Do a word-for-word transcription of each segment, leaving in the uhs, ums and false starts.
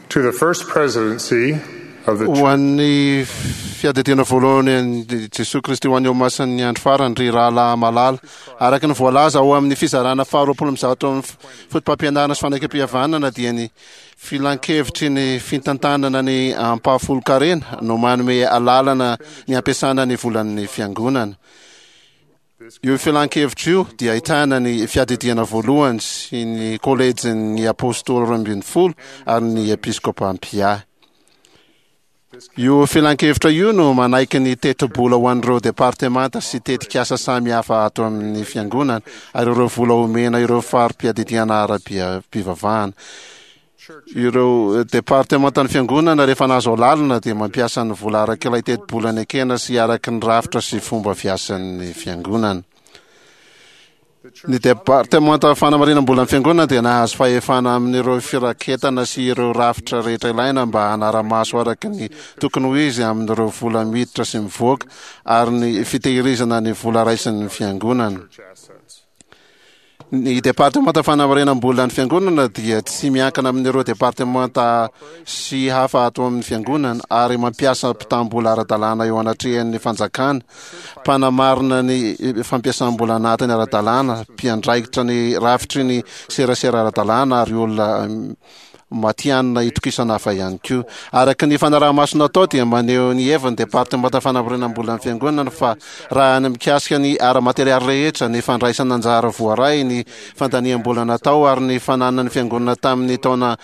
To the First Presidency of the Ho an'ny Fiadidiana Voalohany an'i Jesoa Kristy ho an'ny Olomasin'ny Andro Farany, ry rahalahy malala, araka ny voalaza ao amin'ny fizarana faharoapolo amby zato amin'ny Fotopampianarana sy Fanekempihavanana dia ny Filankevitry ny Fitantanana ny Ampahafolon-karena no manome alalana ny hampiasana ny volan'ny Fiangonana. Io filankevitra io dia ahitana ny Fiadidiana Voalohany sy ny Kôlejin'ny Apôstôly Roa ambin'ny Folo ary ny Episkôpà Mpiahy. Io filankevitra io no manaiky ny tetibola ho an'ireo departemanta sy tetikasa samihafa ato amin'ny Fiangonana ary ireo vola omena ireo fari-piadidiana ara-pivavahana. Ireo departemantan'ny Fiangonana rehefa nahazo alalana dia mampiasa ny vola araka ilay tetibola nekena sy araka ny rafitra sy fomba fiasan'ny Fiangonana. Ny departemanta fanamarinam-bolan'ny Fiangonana dia nahazo fahefana amin'ireo firaketana sy ireo rafitra rehetra ilaina mba hanara-maso araka ny tokony ho izy amin'ireo vola miditra sy mivoaka ary ny fitehirizana ny vola raisin'ny Fiangonana. Ny Departemanta Fanamarinam-bolan'ny Fiangonana dia tsy miankina amin'ireo departemanta sy hafa ato amin'ny Fiangonana ary mampiasa mpitam-bola ara-dalàna eo anatrehan'ny fanjakana, mpanamarina ny fampiasam-bola anatiny ara-dalàna, mpiandraikitra ny rafitry ny serasera ara-dalàna ary olona matihanina itokisana hafa ihany koa. Araka ny fanaraha-maso natao dia maneho ny heviny Departemanta Fanamarinam-bolan'ny Fiangonana fa raha ny mikasika ny ara-materialy rehetra, ny fandraisana anjara voaray, ny fandaniam-bola natao ary ny fananan'ny Fiangonana tamin'ny taona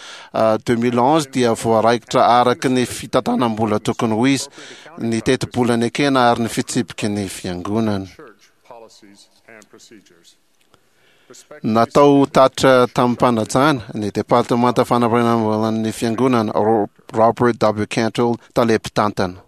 deux mille onze dia voaraikitra araka ny fitantanam-bola tokony ho izy, ny tetibola nekena ary ny fitsipiky ny Fiangonana. Natao tatitra tamim-panajana ny Departemanta Fanamarinam-bolan'ny Fiangonana, Robert W. Cantrell, tale mpitantana.